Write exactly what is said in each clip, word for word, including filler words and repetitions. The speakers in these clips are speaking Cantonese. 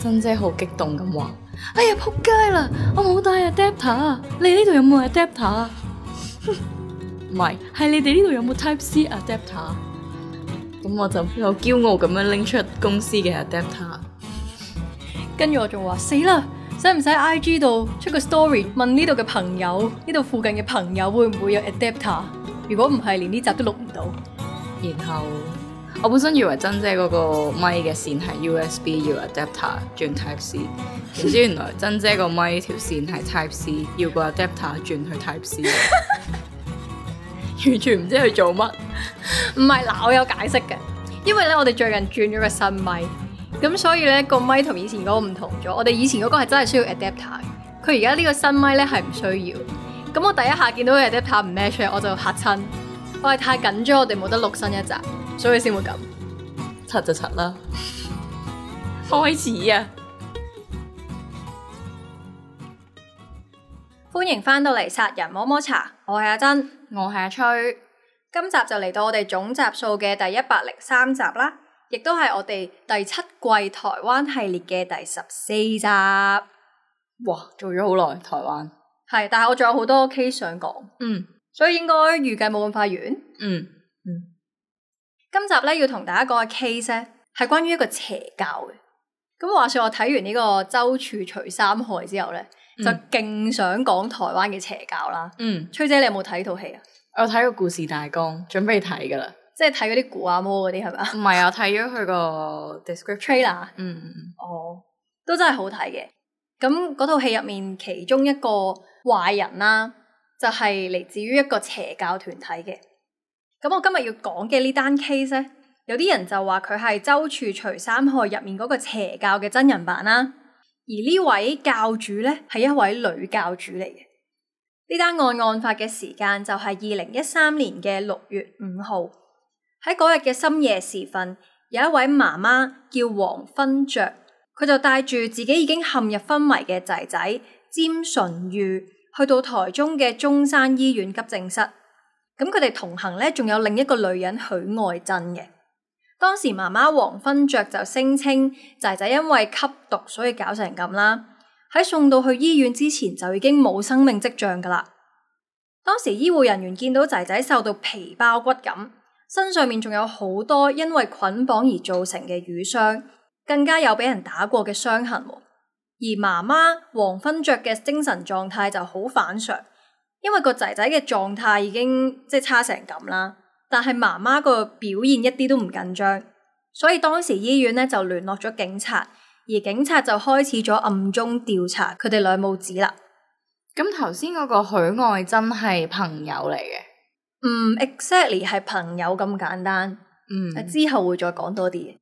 珍姐好激動咁話：哎呀仆街啦！我冇帶 adapter，你呢度有冇 adapter？ 唔係，係你哋呢度有冇 Type C adapter？ 咁我就好驕傲咁樣拎出公司嘅 adapter。跟住我仲話死啦，使唔使 I G 度出個 story 問呢度嘅朋友，呢度附近嘅朋友會唔會有 adapter？ 如果唔係，連呢集都錄唔到。然後我本身以為珍姐嗰個咪嘅線係 U S B 要 adapter 轉 Type C， 點知原來珍姐個咪條線係 Type C， 要個 adapter 轉去 Type C， 完全唔知佢做乜。唔係嗱，我有解釋嘅，因為咧我哋最近轉咗個新咪，咁所以咧個咪同以前嗰個唔同咗。我哋以前嗰個係真係需要 adapter， 佢而家呢個新咪咧係唔需要。咁我第一下見到個 adapter 唔 match， 我就嚇親，我係太緊張，我哋冇得錄新一集，所以先會咁。柒就柒啦，開始啊！歡迎翻到嚟殺人摸摸茶，我係阿珍，我係阿吹。今集就嚟到我哋總集數嘅第一百零三集啦，亦都係我哋第七季台灣系列嘅第十四集。哇，做咗好耐台灣。係，但係我仲有好多 case 想講，嗯，所以應該預計冇咁快完。嗯嗯，今集咧要同大家講嘅 case 咧係關於一個邪教嘅。咁話說我睇完呢個周處除三害之後咧，嗯、就勁想講台灣嘅邪教啦。嗯，崔姐你有冇睇呢套戲啊？我有睇個故事大綱，準備睇噶啦。即係睇嗰啲古阿摩嗰啲係咪啊？唔係啊，睇咗佢個 description trailer。嗯嗯哦，都真係好睇嘅。咁嗰套戲入面其中一個壞人啦，就係嚟自於一個邪教團體嘅。咁我今日要講嘅呢單 case 咧，有啲人就話佢係周處除三害入面嗰個邪教嘅真人版啦。而呢位教主咧係一位女教主嚟嘅。呢單案案發嘅時間就係二零一三年嘅六月五號。喺嗰日嘅深夜時分，有一位媽媽叫黃芬雀，佢就帶住自己已經陷入昏迷嘅仔仔詹純玉去到台中嘅中山醫院急症室。咁佢哋同行咧，仲有另一個女人許愛珍嘅。當時媽媽黃芬雀就聲稱仔仔因為吸毒所以搞成咁啦。喺送到去醫院之前就已經冇生命跡象噶啦。當時醫護人員見到仔仔受到皮包骨咁，身上面仲有好多因為捆綁而造成嘅瘀傷，更加有俾人打過嘅傷痕。而媽媽黃芬雀嘅精神狀態就好反常，因為個仔仔嘅狀態已經即係差成咁啦，但係媽媽個表現一啲都唔緊張，所以當時醫院咧就聯絡咗警察。而警察就開始咗暗中調查佢哋兩母子啦。咁頭先嗰個許愛珍係朋友嚟嘅？唔 exactly 係朋友咁簡單。嗯，之後會再講多啲嘅。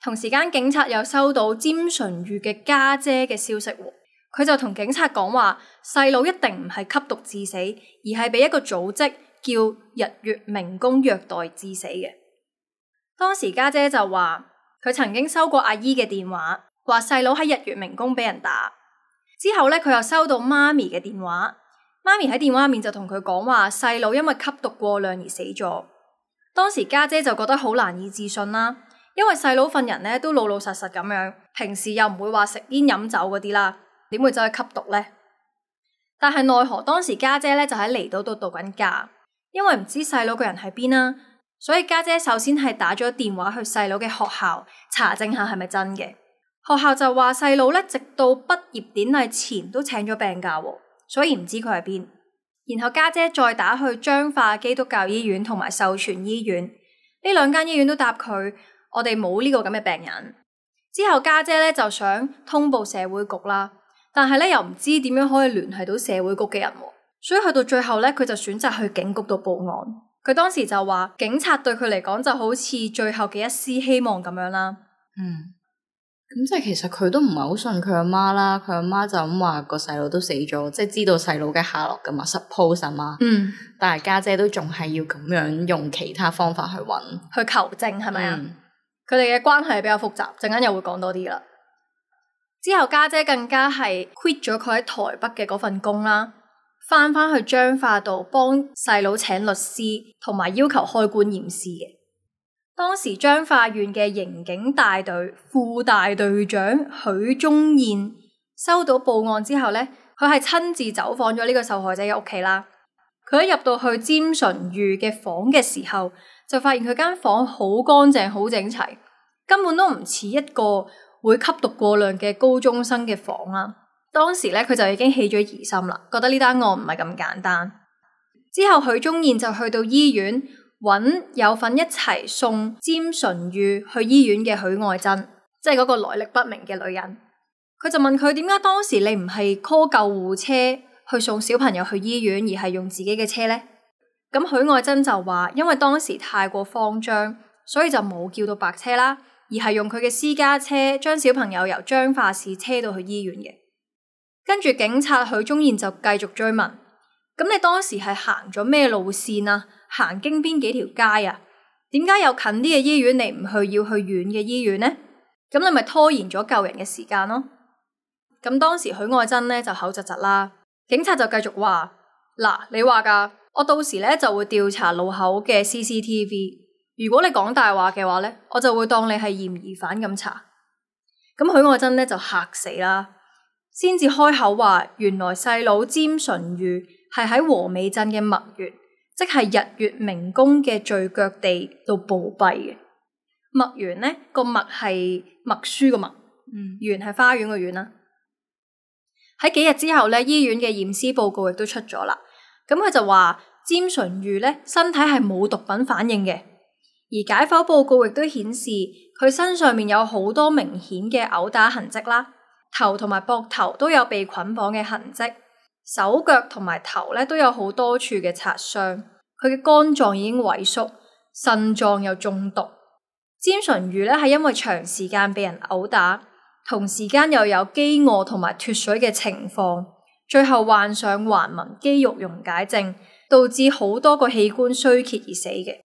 同時間警察又收到詹純玉嘅家姐嘅消息，佢就同警察講話，細佬一定唔係吸毒致死，而係俾一個組織叫日月明功虐待致死嘅。當時家姐就話，佢曾經收過阿姨嘅電話，話細佬喺日月明功俾人打。之後咧，佢又收到媽咪嘅電話，媽咪喺電話入面就同佢講話，細佬因為吸毒過量而死咗。當時家姐就覺得好難以置信啦，因為細佬份人咧都老老實實咁樣，平時又唔會話食煙飲酒嗰啲啦，點會走去吸毒呢？但係奈何當時家姐咧就喺離島度度緊假，因為唔知細佬個人喺邊啦。所以家姐首先係打咗電話去細佬嘅學校查證下係咪真嘅。學校就話細佬咧直到畢業典禮前都請咗病假，所以唔知佢喺邊。然後家姐再打去彰化基督教醫院同埋秀傳醫院，呢兩間醫院都答佢，我哋冇呢個咁嘅病人。之後家姐咧就想通報社會局啦，但係咧又唔知點樣可以聯繫到社會局嘅人，所以去到最後咧佢就選擇去警局度報案。佢當時就話，警察對佢嚟講就好似最後嘅一絲希望咁樣啦。嗯，咁即係其實佢都唔係好信佢阿媽啦。佢阿媽就咁話個細佬都死咗，即係知道細佬嘅下落噶嘛 suppose 啊嘛。嗯，但係家姐都仲係要咁樣用其他方法去揾去求證係咪啊？佢哋嘅關係比較複雜，陣間又會講多啲啦。之後家姐更加係 quit 咗佢喺台北嘅嗰份工啦。翻返去彰化度幫細佬請律師，同埋要求開棺驗屍嘅。當時彰化縣嘅刑警大隊副大隊長許忠彥收到報案之後呢，佢係親自走訪咗呢個受害者嘅屋企啦。佢一入到去詹純裕嘅房嘅時候，就發現佢間房好乾淨好整齊，根本都唔似一個會吸毒過量嘅高中生嘅房啦。當時呢，佢就已經起咗疑心啦，覺得呢單案唔係咁簡單。之後許忠彥就去到醫院揾有份一齊送詹純裕去醫院嘅許愛珍，即係嗰個來歷不明嘅女人。佢就問佢點解當時你唔係 call 救護車去送小朋友去醫院，而係用自己嘅車呢？咁許愛珍就話因為當時太過慌張，所以就冇叫到白車啦，而係用佢嘅私家車將小朋友由彰化市車到去醫院嘅。跟住警察許忠彥就繼續追問，咁你當時係行咗咩路線啊？行經邊幾條街啊？點解有近啲嘅醫院你唔去，要去遠嘅醫院呢？咁你咪拖延咗救人嘅時間咯。咁當時許愛珍呢就口窒窒啦，警察就繼續話，嗱，你話噶，我到時呢就會調查路口嘅 C C T V， 如果你講大話嘅話呢，我就會當你係嫌疑犯咁查。咁許愛珍呢就嚇死啦，先至開口話，原來細佬詹純裕係喺和美鎮嘅墨園，即係日月明功嘅聚腳地度暴斃嘅。墨園呢個墨係默書個墨，嗯，園係花園個園啦。喺幾日之後呢，醫院嘅驗屍報告亦都出咗啦。咁佢就話詹純裕呢身體係冇毒品反應嘅，而解剖報告亦都顯示佢身上面有好多明顯嘅毆打痕跡啦，頭同埋膊頭都有被捆綁嘅痕跡。手腳同埋頭咧都有好多處嘅擦傷，佢嘅肝臟已經萎縮，腎臟又中毒。詹純裕咧係因為長時間被人毆打，同時間又有飢餓同埋脫水嘅情況，最後患上橫紋肌肉溶解症，導致好多個器官衰竭而死嘅，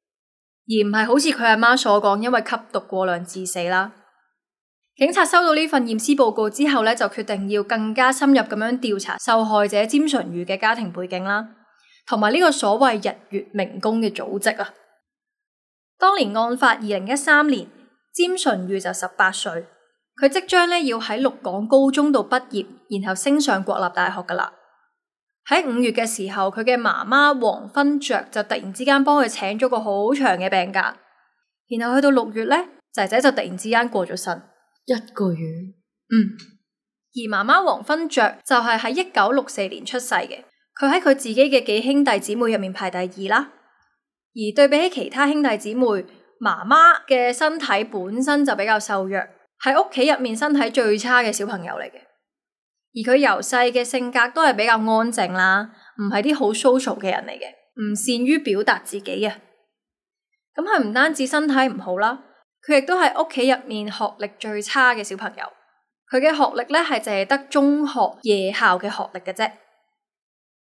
而唔係好似佢阿媽所講，因為吸毒過量致死啦。警察收到呢份驗屍報告之後呢，就決定要更加深入咁樣調查受害者詹純裕嘅家庭背景啦，同埋呢個所謂日月明功嘅組織啊。當年案發二零一三年，詹純裕就十八歲，佢即將呢要喺鹿港高中度畢業，然後升上國立大學噶啦。喺五月嘅時候，佢嘅媽媽黃芬雀就突然之間幫佢請咗個好長嘅病假，然後去到六月呢，仔仔就突然之間過咗身。一個月，嗯，而媽媽黃芬雀就係喺一九六四年出世嘅，佢喺佢自己嘅幾兄弟姊妹入面排第二啦。而對比起其他兄弟姊妹，媽媽嘅身體本身就比較瘦弱，係屋企入面身體最差嘅小朋友嚟嘅。而佢由細嘅性格都係比較安靜啦，唔係啲好 social 嘅人嚟嘅，唔善於表達自己啊。咁佢唔單止身體唔好啦，佢亦都係屋企入面學歷最差嘅小朋友，佢嘅學歷咧係淨係得中學夜校嘅學歷嘅啫。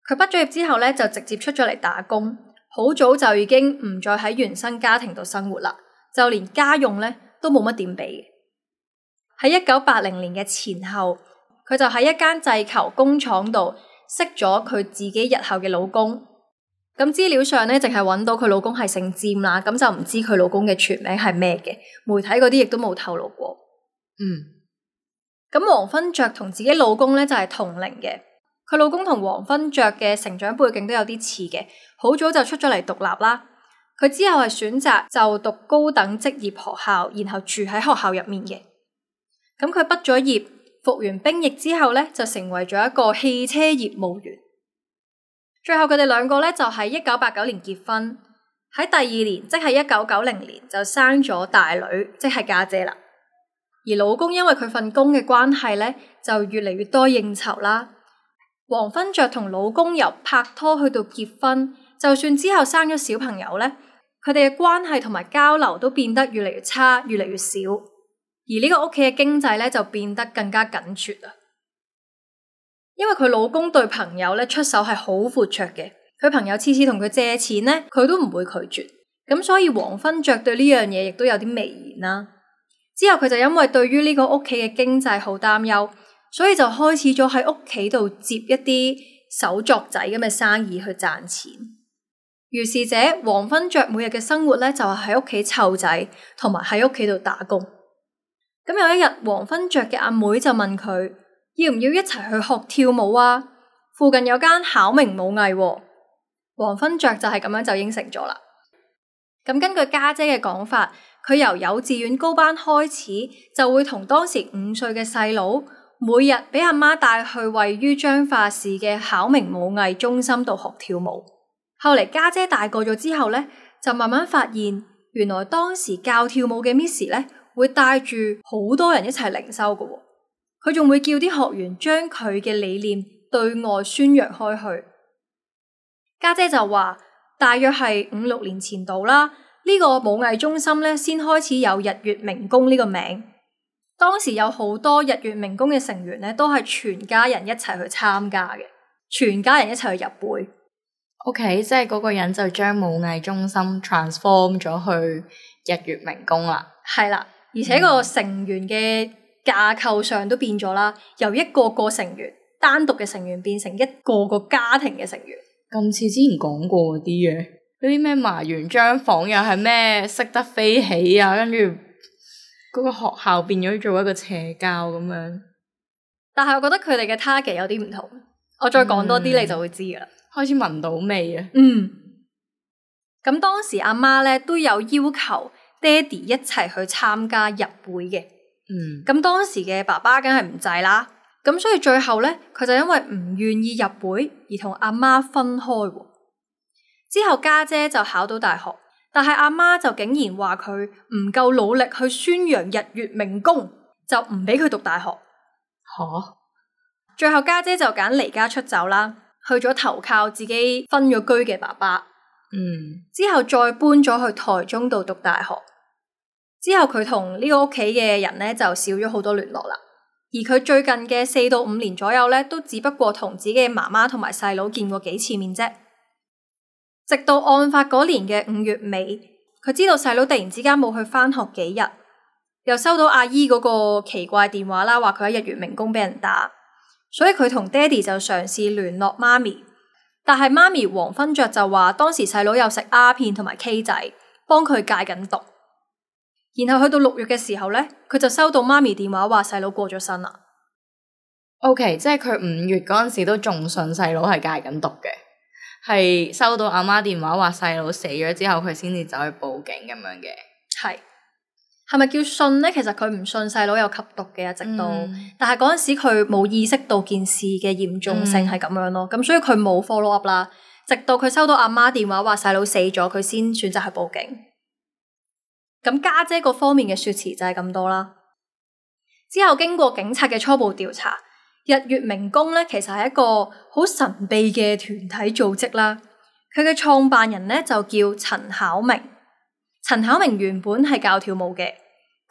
佢畢咗業之後咧就直接出咗嚟打工，好早就已經唔再喺原生家庭度生活啦，就連家用咧都冇乜點俾嘅。喺一九八零年嘅前後，佢就喺一間製球工廠度識咗佢自己日後嘅老公。咁資料上咧，淨係揾到佢老公係姓詹啦，咁就唔知佢老公嘅全名係咩嘅，媒體嗰啲亦都冇透露過。嗯，咁黃芬雀同自己老公咧就係同齡嘅，佢老公同黃芬雀嘅成長背景都有啲似嘅，好早就出咗嚟獨立啦。佢之後係選擇就讀高等職業學校，然後住喺學校入面嘅。咁佢畢咗業，服完兵役之後咧，就成為咗一個汽車業務員。最後佢哋兩個咧就喺一九八九年結婚，喺第二年即係一九九零年就生咗大女，即係家姐啦。而老公因為佢份工嘅關係咧，就越嚟越多應酬啦。黃芬雀同老公由拍拖去到結婚，就算之後生咗小朋友咧，佢哋嘅關係同埋交流都變得越嚟越差，越嚟越少。而呢個屋企嘅經濟咧就變得更加緊絀啊。因為佢老公對朋友咧出手係好闊綽嘅，佢朋友次次同佢借錢咧，佢都唔會拒絕，咁所以黃芬雀對呢樣嘢亦都有啲微言啦。之後佢就因為對於呢個屋企嘅經濟好擔憂，所以就開始咗喺屋企度接一啲手作仔咁嘅生意去賺錢。如是者黃昏雀每日嘅生活咧就係喺屋企湊仔，同埋喺屋企度打工。咁有一日，黃昏雀嘅阿妹就問佢要唔要一齊去學跳舞啊？附近有間巧明舞藝喎。黃昏雀就係咁樣就應承咗啦。咁根據家姐嘅講法，佢由幼稚園高班開始就會同當時五歲嘅細佬每日俾阿媽帶去位於彰化市嘅巧明舞藝中心度學跳舞。後嚟家姐大個咗之後咧，就慢慢發現原來當時教跳舞嘅 Miss 咧會帶住好多人一齊靈修嘅喎。佢仲會叫啲學員將佢嘅理念對外宣揚開去。家姐就話大約係五六年前度啦，呢個舞藝中心咧先開始有日月明宮呢個名。當時有好多日月明宮嘅成員咧都係全家人一齊去參加嘅，全家人一齊去入會。OK， 即係嗰個人就將舞藝中心 transform 咗去日月明宮啦。係啦，而且個成員嘅架構上都變咗啦，由一個個成員單獨嘅成員變成一個個家庭嘅成員。咁似之前講過嗰啲嘅，嗰啲咩埋完張房又係咩識得飛起啊，跟住嗰個學校變咗做一個邪教咁樣。但係我覺得佢哋嘅 target 有啲唔同，我再講多啲你就會知噶啦。開始聞到味啊！嗯，咁當時阿媽咧都有要求爹哋一齊去參加入會嘅。嗯，咁當時嘅爸爸梗係唔制啦。咁所以最後咧，佢就因為唔願意入會而同阿媽分開。之後家姐就考到大學，但係阿媽就竟然話佢唔夠努力去宣揚日月明宮，就唔俾佢讀大學。吓？最後家姐就揀離家出走啦，去咗投靠自己分咗居嘅爸爸。嗯，之後再搬咗去台中度讀大學。之後佢同呢個屋企嘅人咧就少咗好多聯絡啦。而佢最近嘅四到五年左右咧，都只不過同自己嘅媽媽同埋細佬見過幾次面啫。直到案發嗰年嘅五月尾，佢知道細佬突然之間冇去返學幾日，又收到阿姨嗰個奇怪電話啦，話佢喺日月明宮俾人打，所以佢同爹哋就嘗試聯絡媽咪，但係媽咪黃昏雀就話當時細佬有食鴉片同埋 K 仔，幫佢戒緊毒。然後去到六月嘅時候咧，佢就收到媽咪電話話細佬過咗身啦。OK， 即係佢五月嗰陣時都仲信細佬係戒緊毒嘅，係收到阿媽電話話細佬死咗之後，佢先至走去報警咁樣嘅。係係咪叫信咧？其實佢唔信細佬有吸毒嘅，一直都，嗯、但係嗰陣時佢冇意識到件事嘅嚴重性係咁樣咯。咁、嗯、所以佢冇 follow up 啦，直到佢收到阿媽電話話細佬死咗，佢先選擇去報警。咁家姐嗰方面嘅說辭就係咁多啦。之後經過警察嘅初步調查，日月明宮咧其實係一個好神秘嘅團體組織啦。佢嘅創辦人咧就叫陳巧明。陳巧明原本係教跳舞嘅，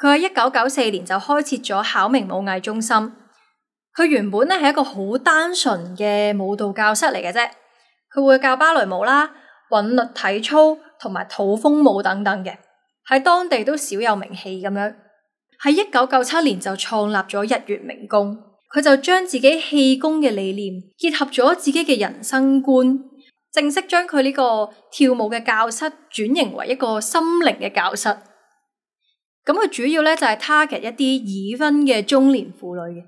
佢喺一九九四年就開設咗巧明舞藝中心。佢原本咧係一個好單純嘅舞蹈教室嚟嘅啫，佢會教芭蕾舞啦、韻律體操同埋土風舞等等嘅。喺當地都小有名氣咁樣，喺一九九七年就創立咗日月明宮，佢就將自己氣功嘅理念結合咗自己嘅人生觀，正式將佢呢個跳舞嘅教室轉型為一個心靈嘅教室。咁佢主要咧就係 target 一啲已婚嘅中年婦女嘅，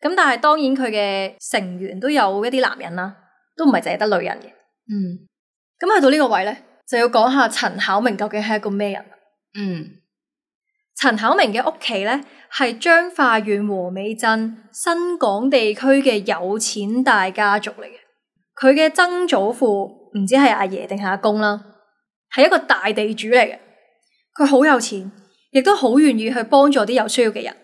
咁但係當然佢嘅成員都有一啲男人啦，都唔係淨係得女人嘅。嗯，咁去到呢個位咧，就要講下陳巧明究竟係一個咩人。嗯，陳巧明嘅屋企咧係彰化縣和美鎮新港地區嘅有錢大家族嚟嘅。佢嘅曾祖父唔知係阿爺定係阿公啦，係一個大地主嚟嘅。佢好有錢，亦都好願意去幫助啲有需要嘅人。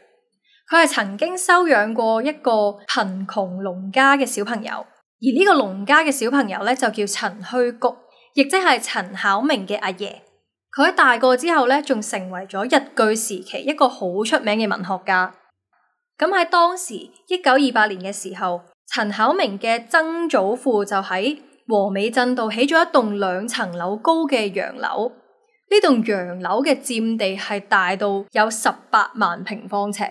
佢係曾經收養過一個貧窮農家嘅小朋友，而呢個農家嘅小朋友咧就叫陳虛谷，亦即係陳巧明嘅阿爺。佢喺大個之後咧，仲成為咗日據時期一個好出名嘅文學家。咁喺當時一九二八年嘅時候，陳巧明嘅曾祖父就喺和美鎮度起咗一棟兩層樓高嘅洋樓。呢棟洋樓嘅佔地係大到有十八萬平方尺。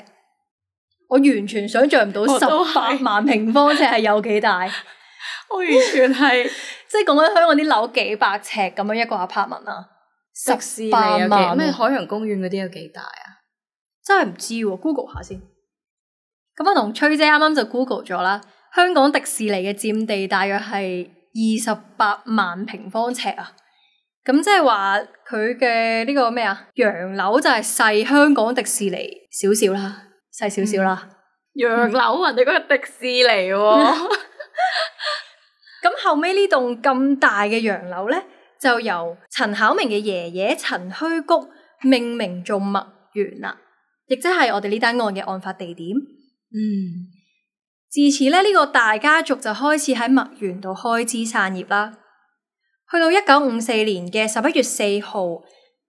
我完全想象唔到十八萬平方尺係有幾大。我完全係即係講緊香港啲樓幾百尺咁樣一個 apartment 啊，迪士尼十八萬有幾咩海洋公園嗰啲有幾大啊？真係唔知喎，Google 下先。咁我同崔姐啱啱就 Google 咗啦，香港迪士尼嘅佔地大約係二十八萬平方尺啊。咁即係話佢嘅呢個咩啊？洋樓就係細香港迪士尼少少啦，細少少啦。洋樓人哋嗰個迪士尼喎。咁後尾呢棟咁大嘅洋樓咧，就由陳巧明嘅爺爺陳虛谷命名做墨園啦，亦即係我哋呢單案嘅案發地點。嗯，自此咧，呢、這個大家族就開始喺墨園度開枝散葉啦。去到一九五四年嘅十一月四號，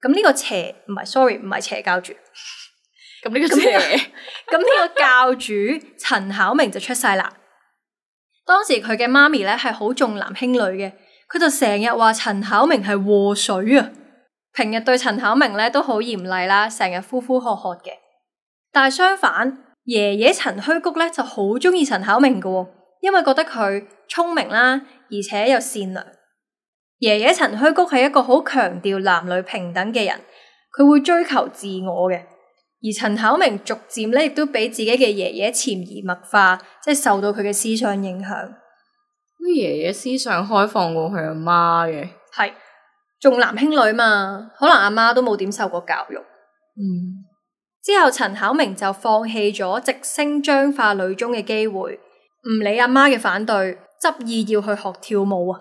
咁呢個邪唔係 sorry 唔係邪教主，咁呢個邪，咁呢個教主陳巧明就出世啦。當時佢嘅媽咪咧係好重男輕女嘅，佢就成日話陳巧明係禍水啊。平日對陳巧明咧都好嚴厲啦，成日呼呼喝喝嘅。但係相反，爺爺陳虛谷咧就好中意陳巧明嘅，因為覺得佢聰明啦，而且又善良。爺爺陳虛谷係一個好強調男女平等嘅人，佢會追求自我嘅。而陳巧明逐漸咧亦都俾自己嘅爺爺潛移默化，即係受到佢嘅思想影響。啲爺爺思想開放過佢阿媽嘅，係重男輕女嘛，可能阿媽都冇點受過教育。嗯，之後陳巧明就放棄咗直升彰化女中嘅機會，唔理阿媽嘅反對，執意要去學跳舞啊。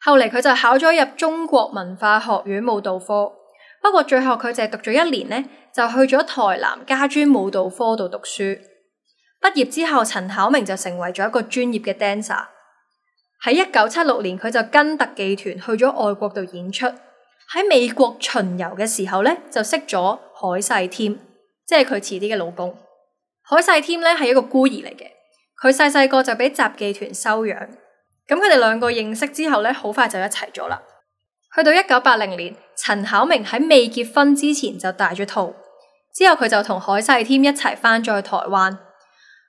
後嚟佢就考咗入中國文化學院舞蹈科，不過最後佢淨係讀咗一年呢，就去咗台南家專舞蹈科度讀書。畢業之後，陳巧明就成為咗一個專業嘅 dancer。喺一九七六年，佢就跟特技團去咗外國度演出。喺美國巡遊嘅時候呢，就識咗海世添，即係佢遲啲嘅老公。海世添呢係一個孤兒嚟嘅，佢細細個就俾雜技團收養。咁佢哋兩個認識之後咧，好快就一齊咗啦。去到一九八零年，陳巧明喺未結婚之前就大咗肚，之後佢就同海世添一齊翻咗去台灣。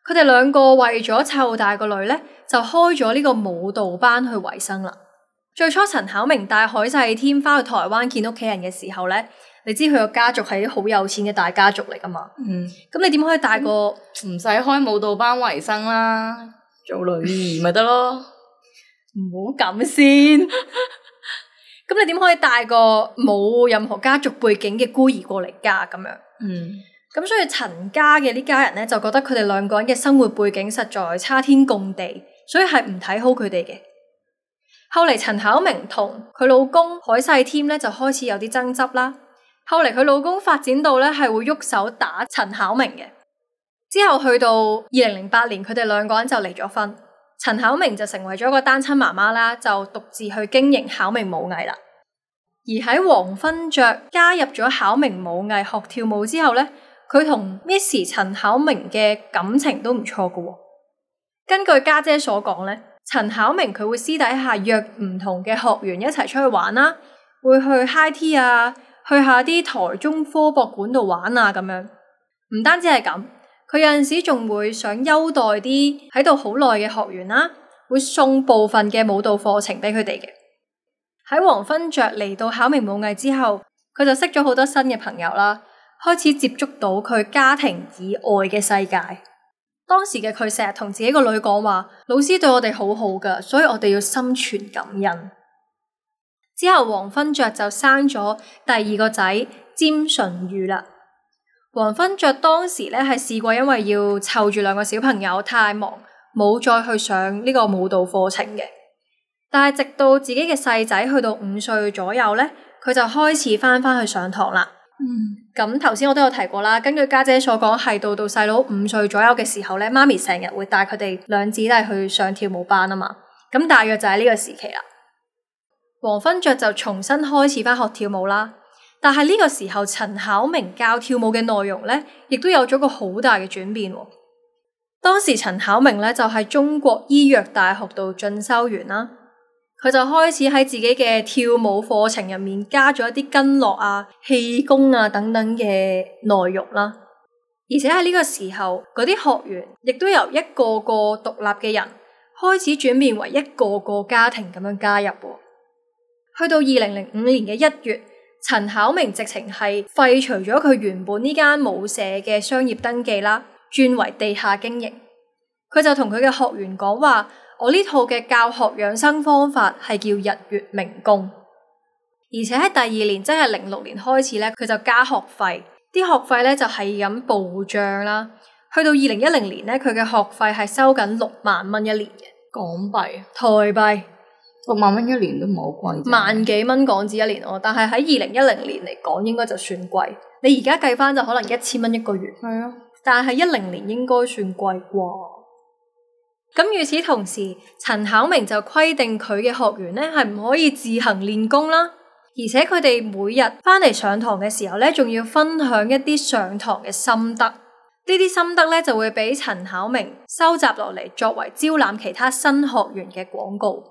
佢哋兩個為咗湊大個女咧，就開咗呢個舞蹈班去維生啦。最初陳巧明帶海世添翻去台灣見屋企人嘅時候咧，你知佢個家族係啲好有錢嘅大家族嚟噶嘛？嗯，咁你點可以帶個唔使開舞蹈班維生啦，做女兒咪得咯？唔好咁先，咁你點可以帶個冇任何家族背景嘅孤兒過嚟家咁樣？嗯，咁所以陳家嘅呢家人咧就覺得佢哋兩個人嘅生活背景實在差天共地，所以係唔睇好佢哋嘅。後嚟陳巧明同佢老公海世添咧就開始有啲爭執啦。後嚟佢老公發展到咧係會喐手打陳巧明嘅。之後去到二零零八年，佢哋兩個人就離咗婚。陳巧明就成為咗個單親媽媽啦，就獨自去經營巧明舞藝啦。而喺黃芬雀加入咗巧明舞藝學跳舞之後咧，佢同 Miss 陳巧明嘅感情都唔錯噶。根據家姐所講咧，陳巧明佢會私底下約唔同嘅學員一齊出去玩啦，會去 high tea 啊，去下啲台中科博館度玩啊咁樣。唔單止係咁。佢有陣時仲會想優待啲喺度好耐嘅學員啦，會送部分嘅舞蹈課程俾佢哋嘅。喺黃芬雀嚟到巧明舞藝之後，佢就識咗好多新嘅朋友啦，開始接觸到佢家庭以外嘅世界。當時嘅佢成日同自己個女講話，老師對我哋好好噶，所以我哋要心存感恩。之後黃芬雀就生咗第二個仔詹淳于啦。黃芬雀當時咧係試過，因為要湊住兩個小朋友太忙，冇再去上呢個舞蹈課程嘅。但係直到自己嘅細仔去到五歲左右咧，佢就開始翻翻去上堂啦。嗯，咁頭先我都有提過啦，根據家姐所講，係到到細佬五歲左右嘅時候咧，媽咪成日會帶佢哋兩姊弟去上跳舞班啊嘛。咁大約就係呢個時期啦。黃芬雀就重新開始翻學跳舞啦。但係呢個時候，陳巧明教跳舞嘅內容咧，亦都有咗個好大嘅轉變。當時陳巧明咧就喺中國醫藥大學度進修完啦，佢就開始喺自己嘅跳舞課程入面加咗一啲筋絡啊、氣功啊等等嘅內容啦。而且喺呢個時候，嗰啲學員亦都由一個個獨立嘅人開始轉變為一個個家庭咁樣加入。去到二零零五年嘅一月，陳巧明直情係廢除咗佢原本呢間舞社嘅商業登記啦，轉為地下經營。佢就同佢嘅學員講話：我呢套嘅教學養生方法係叫日月明功。而且喺第二年，即係零六年開始咧，佢就加學費，啲學費咧就係咁暴漲啦。去到二零一零年咧，佢嘅學費係收緊六萬蚊一年嘅港幣、台幣。六萬蚊一年都唔係好貴，萬幾蚊港紙一年喎。但係喺二零一零年嚟講，應該就算貴。你而家計翻就可能一千蚊一個月。係啊，但係一零年應該算貴啩。咁與此同時，陳巧明就規定佢嘅學員咧係唔可以自行練功啦。而且佢哋每日翻嚟上堂嘅時候咧，仲要分享一啲上堂嘅心得。呢啲心得咧就會俾陳巧明收集落嚟，作為招攬其他新學員嘅廣告。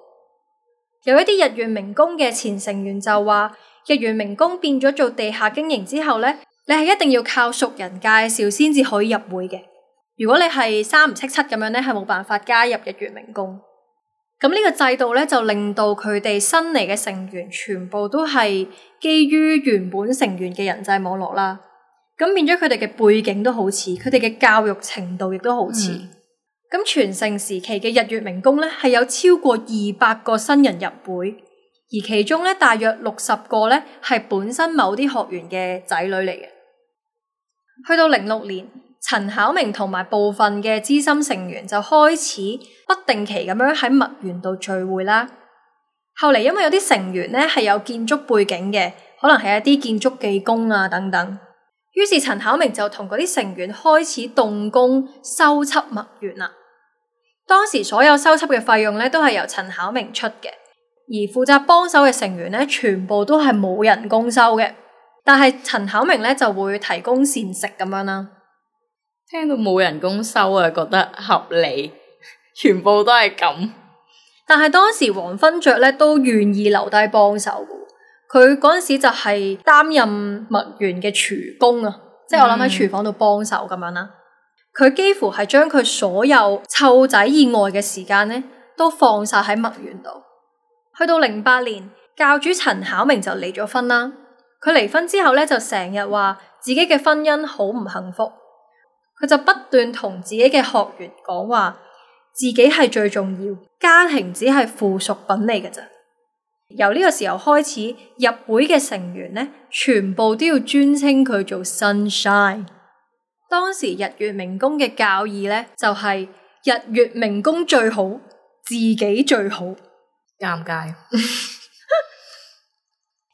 有一啲日月明功嘅前成員就話，日月明功變咗做地下經營之後咧，你係一定要靠熟人介紹先至可以入會嘅。如果你係三唔識七咁樣咧，係冇辦法加入日月明功。咁呢個制度咧，就令到佢哋新嚟嘅成員全部都係基於原本成員嘅人際網絡啦。咁變咗佢哋嘅背景都好似，佢哋嘅教育程度亦都好似。咁、嗯、全盛時期嘅日月明功咧，係有超過二百個新人入會，而其中咧大約六十個咧係本身某啲學員嘅仔女嚟嘅。去到零六年，陳巧明同埋部分嘅資深成員就開始不定期咁樣喺墨園度聚會啦。後嚟因為有啲成員咧係有建築背景嘅，可能係一啲建築技工啊等等，於是陳巧明就同嗰啲成員開始動工修葺墨園啦。當時所有修葺嘅費用咧都係由陳巧明出嘅，而負責幫手嘅成員咧全部都係冇人工收嘅，但係陳巧明咧就會提供膳食咁樣啦。聽到冇人工收啊，覺得合理，全部都係咁。但係當時黃勳爵咧都願意留低幫手嘅，佢嗰陣時就係擔任墨園嘅廚工啊，即係我諗喺廚房度幫手咁樣啦。佢、嗯、幾乎係將佢所有湊仔以外嘅時間咧，都放晒喺墨園度。去到零八年，教主陳巧明就離咗婚啦。佢離婚之後咧，就成日話自己嘅婚姻好唔幸福。佢就不斷同自己嘅學員講話，自己係最重要，家庭只係附屬品嚟嘅咋。由呢個時候開始，入會嘅成員咧，全部都要尊稱佢做 Sunshine。當時日月明功嘅教義咧，就係、是、日月明功最好，自己最好。尷尬。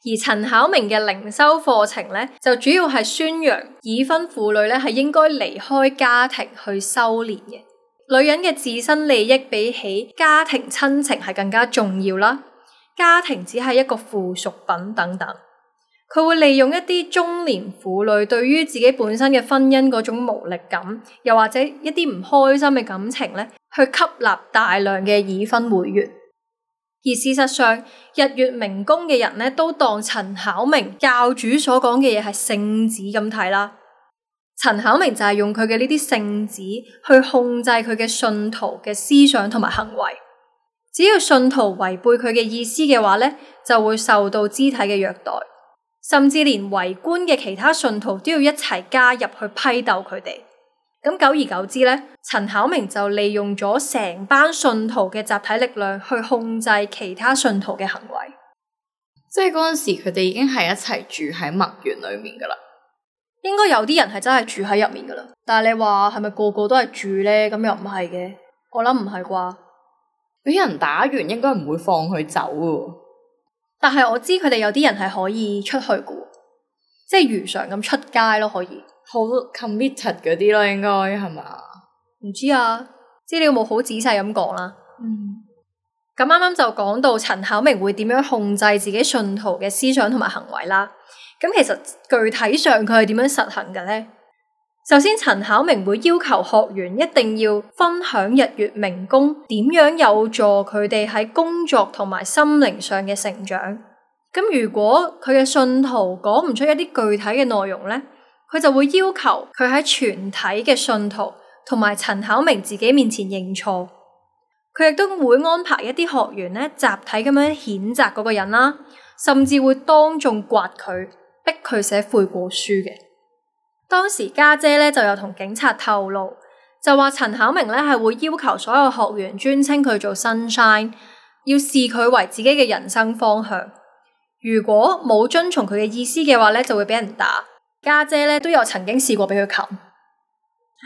而陳巧明嘅靈修課程咧，就主要係宣揚已婚婦女咧係應該離開家庭去修煉嘅。女人嘅自身利益比起家庭親情係更加重要啦。家庭只係一個附屬品等等。佢會利用一啲中年婦女對於自己本身嘅婚姻嗰種無力感，又或者一啲唔開心嘅感情咧，去吸納大量嘅已婚會員。而事實上，日月明功嘅人咧，都當陳巧明教主所講嘅嘢係聖旨咁睇啦。陳巧明就係用佢嘅呢啲聖旨去控制佢嘅信徒嘅思想同埋行為。只要信徒違背佢嘅意思嘅話咧，就會受到肢體嘅虐待，甚至連圍觀嘅其他信徒都要一齊加入去批鬥佢哋。咁久而久之咧，陳巧明就利用咗成班信徒嘅集體力量去控制其他信徒嘅行為。即係嗰陣時，佢哋已經係一齊住喺墨園裏面噶啦。應該有啲人係真係住喺入面噶啦，但係你話係咪個個都係住咧？咁又唔係嘅，我諗唔係啩。俾人打完應該唔會放佢走噶。但係我知佢哋有啲人係可以出去噶，即係如常咁出街咯，可以。好 committed 嗰啲咯，應該係嘛？唔知啊，資料冇好仔細咁講啦。嗯，咁啱啱就講到陳巧明會點樣控制自己信徒嘅思想同埋行為啦。咁其實具體上佢係點樣實行嘅咧？首先，陳巧明會要求學員一定要分享日月明功點樣有助佢哋喺工作同埋心靈上嘅成長。咁如果佢嘅信徒講唔出一啲具體嘅內容咧，佢就會要求佢喺全體嘅信徒同埋陳巧明自己面前認錯。佢亦都會安排一啲學員咧集體咁樣譴責嗰個人啦，甚至會當眾刮佢，逼佢寫悔過書嘅。當時家姐咧就有同警察透露，就話陳巧明咧係會要求所有學員尊稱佢做 Sunshine， 要視佢為自己嘅人生方向。如果冇遵從佢嘅意思嘅話咧，就會俾人打。家姐咧都有曾經試過俾佢擒。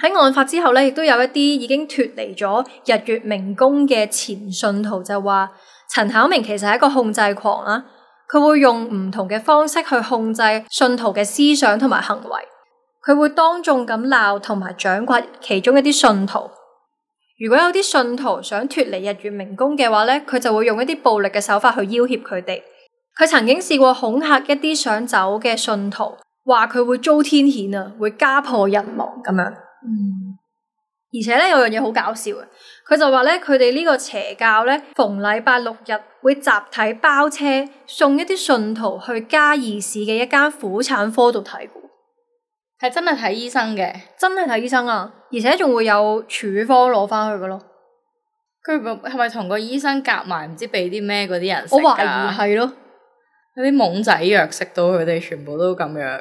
喺案發之後咧，亦都有一啲已經脫離咗日月明功嘅前信徒就話，陳巧明其實係一個控制狂啦，佢會用唔同嘅方式去控制信徒嘅思想同埋行為，佢會當眾咁鬧同埋掌摑其中一啲信徒。如果有啲信徒想脫離日月明功嘅話咧，佢就會用一啲暴力嘅手法去要挾佢哋。佢曾經試過恐嚇一啲想走嘅信徒，話佢會遭天譴啊，會家破人亡咁樣。嗯，而且咧有樣嘢好搞笑嘅，佢就話咧佢哋呢個邪教咧逢禮拜六日會集體包車送一啲信徒去嘉義市嘅一間婦產科度睇過，係真係睇醫生嘅，真係睇醫生啊，而且仲會有處方攞翻去嘅咯。佢係咪同個醫生夾埋唔知俾啲咩嗰啲人食？我懷疑係咯，有啲懵仔藥食到佢哋全部都咁樣。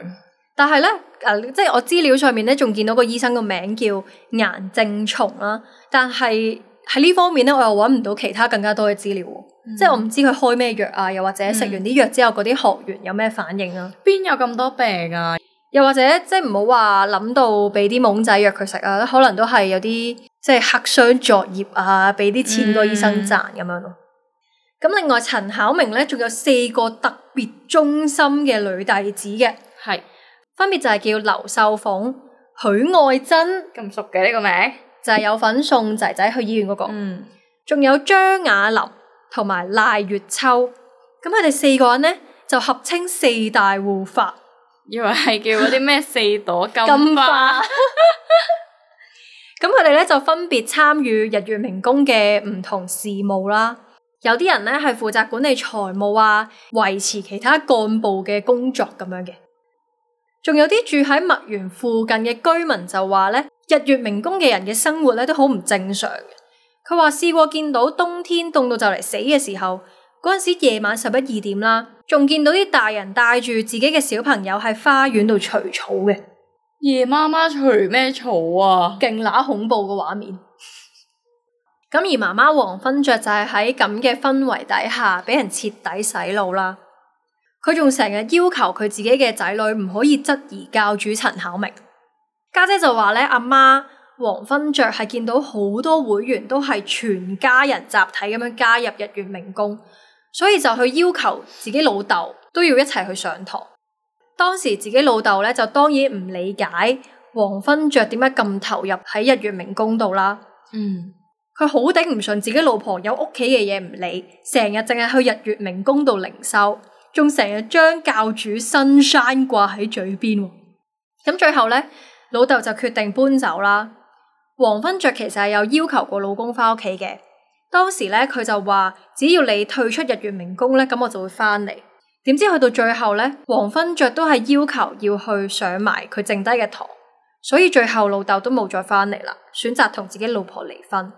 但係咧，誒、呃，即係我資料上面咧，仲見到個醫生個名叫顏正松啦。但係喺呢方面咧，我又揾唔到其他更加多嘅資料。嗯、即係我唔知佢開咩藥啊，又或者食完啲藥之後，嗰啲學員有咩反應啊？邊有咁多病啊？又或者即係唔好話諗到俾啲懵仔藥佢食啊，可能都係有啲即係黑箱作業啊，俾啲錢個醫生賺咁樣咯。咁、嗯、另外陳巧明咧，仲有四個特別忠心嘅女弟子嘅，係。分別就係叫劉秀鳳、許愛珍，咁熟嘅呢個名，就係有份送仔仔去醫院嗰個。嗯，仲有張雅琳同埋賴月秋，咁佢哋四個人咧就合稱四大護法，以為係叫嗰啲咩四朵金花。咁佢哋咧就分別參與日月明功嘅唔同事務啦。有啲人咧係負責管理財務啊，維持其他幹部嘅工作咁樣嘅。仲有啲住喺墨園附近嘅居民就話咧，日月明功嘅人嘅生活咧都好唔正常嘅。佢話試過見到冬天凍到就嚟死嘅時候，嗰陣時夜晚十一二點啦，仲見到啲大人帶住自己嘅小朋友喺花園度除草嘅。夜媽媽除咩草啊？勁乸恐怖嘅畫面。咁而媽媽黃芬雀就係喺咁嘅氛圍底下，俾人徹底洗腦啦。佢仲成日要求佢自己嘅仔女唔可以質疑教主陳巧明。家姐就話咧，阿媽黃芬雀係見到好多會員都係全家人集體咁樣加入日月明功，所以就去要求自己老豆都要一齊去上堂。當時自己老豆咧就當然唔理解黃芬雀點解咁投入喺日月明功度啦。嗯，佢好頂唔順自己老婆有屋企嘅嘢唔理，成日淨係去日月明功度靈修。仲成日將教主 Sunshine 掛喺嘴邊，咁最後咧，老豆就決定搬走啦。黃芬雀其實係有要求過老公翻屋企嘅，當時咧佢就話只要你退出日月明功咧，咁我就會翻嚟。點知去到最後咧，黃芬雀都係要求要去上埋佢剩低嘅堂，所以最後老豆都冇再翻嚟啦，選擇同自己老婆離婚。